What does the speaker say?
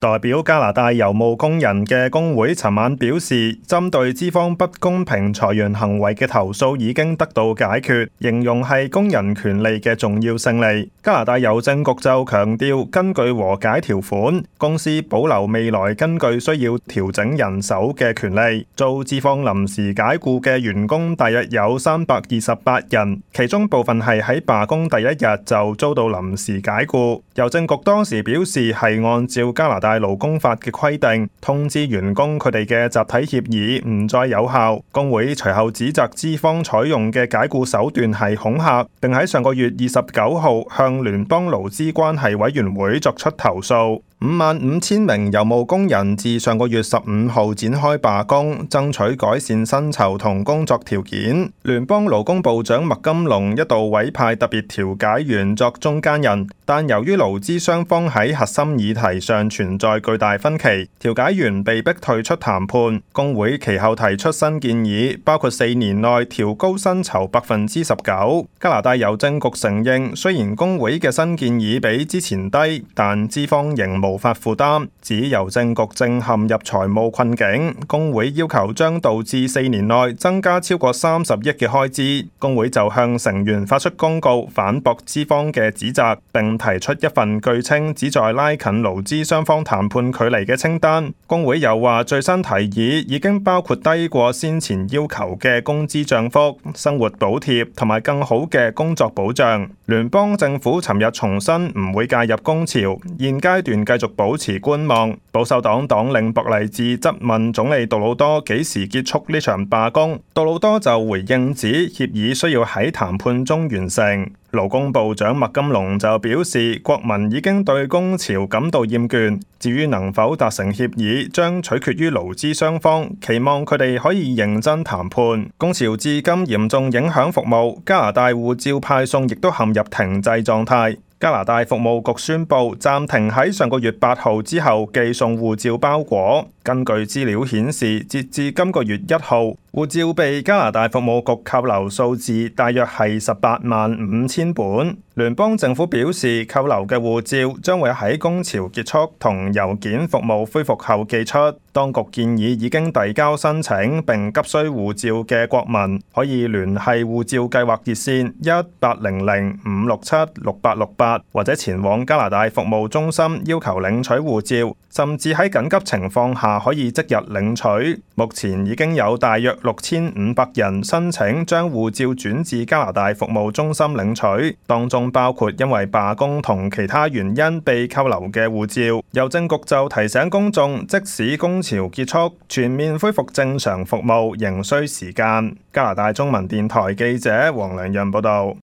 代表加拿大郵務工人嘅工會尋晚表示，針對資方不公平裁員行為嘅投訴已經得到解決，形容係工人權利嘅重要勝利。加拿大郵政局就強調，根據和解條款，公司保留未來根據需要調整人手嘅權利。遭資方臨時解僱嘅員工大約有328人，其中部分係喺罷工第一日就遭到臨時解僱。郵政局當時表示係按照加拿大勞工法嘅規定，通知員工佢哋嘅集體協議唔再有效。工會隨後指責資方採用嘅解僱手段係恐嚇，並喺上個月29號向聯邦勞資關係委員會作出投訴。55000名郵務工人自上個月15號展開罷工，爭取改善薪酬同工作條件。聯邦勞工部長麥金龍一度委派特別調解員作中間人，但由於勞資雙方喺核心議題上存在巨大分歧，調解員被迫退出談判。工會其後提出新建議，包括4年內調高薪酬19%。加拿大郵政局承認，雖然工會嘅新建議比之前低，但資方仍無法負擔，指郵政局正陷入財務困境。工會要求將導致4年內增加超過30億嘅開支。工會就向成員發出公告，反駁資方嘅指責，並提出一份據稱旨在拉近勞資雙方談判距離嘅清單。工會又話，最新提議已經包括低過先前要求嘅工資漲幅、生活補貼同埋更好嘅工作保障。聯邦政府尋日重申唔會介入工潮，現階段繼續保持觀望。保守黨黨領博勵治質問總理杜魯多幾時結束呢場罷工，杜魯多就回應指協議需要喺談判中完成。勞工部長麥金龍就表示，國民已經對工潮感到厭倦，至於能否達成協議，將取決於勞資雙方，期望佢哋可以認真談判。工潮至今嚴重影響服務，加拿大護照派送亦都陷入停滯狀態。加拿大服務局宣布暫停喺上個月8號之後寄送護照包裹。根據資料顯示，截至今個月1號，護照被加拿大服務局扣留數字大約係185000本。聯邦政府表示，扣留嘅護照將會喺工潮結束同郵件服務恢復後寄出。當局建議已經遞交申請並急需護照嘅國民可以聯繫護照計劃熱線1800-567-6868，或者前往加拿大服務中心要求領取護照，甚至喺緊急情況下可以即日領取。目前已經有大約6500人申請將護照轉至加拿大服務中心領取，當中包括因為罷工同其他原因被扣留嘅護照。郵政局就提醒公眾，即使工潮結束，全面恢復正常服務仍需時間。加拿大中文電台記者黃良潤報道。